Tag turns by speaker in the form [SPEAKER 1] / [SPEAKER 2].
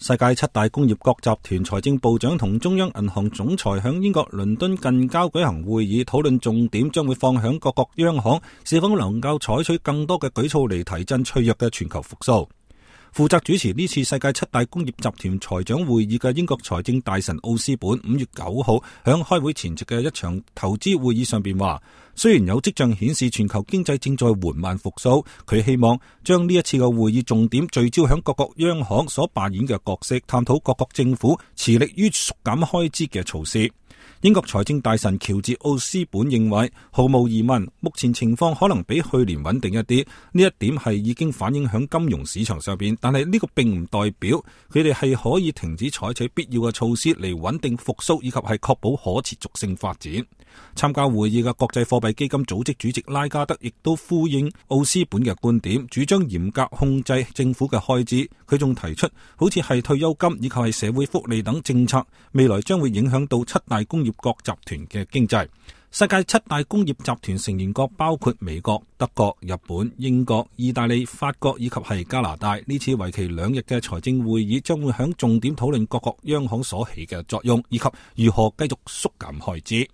[SPEAKER 1] 世界七大工業國集團財政部長同中央銀行總裁響英國倫敦近郊舉行會議，討論重點將會放響各國央行是否能夠採取更多嘅舉措嚟提振脆弱嘅全球復甦。負責主持呢次世界七大工業集團財長會議嘅英國財政大臣奧斯本5月9號響開會前夕嘅一場投資會議上邊話，雖然有跡象顯示全球經濟正在緩慢復甦，佢希望將呢一次嘅會議重點聚焦響各國央行所扮演嘅角色，探討各國政府致力於縮減開支嘅措施。英國財政大臣喬治奧斯本認為，毫無疑問，目前情況可能比去年穩定一啲，呢一點係已經反映響金融市場上邊，但係呢個並唔代表佢哋係可以停止採取必要嘅措施嚟穩定復甦以及係確保可持續性發展。參加會議嘅國際貨幣基金組織主席拉加德亦都呼應奧斯本嘅觀點，主張嚴格控制政府嘅開支。佢仲提出，好似係退休金以及係社會福利等政策，未來將會影響到七大工業國集團嘅經濟。世界七大工業集團成員國包括美國、德國、日本、英國、意大利、法國以及係加拿大。呢次為期2日嘅財政會議將會響重點討論各國央行所起嘅作用，以及如何繼續縮減開支。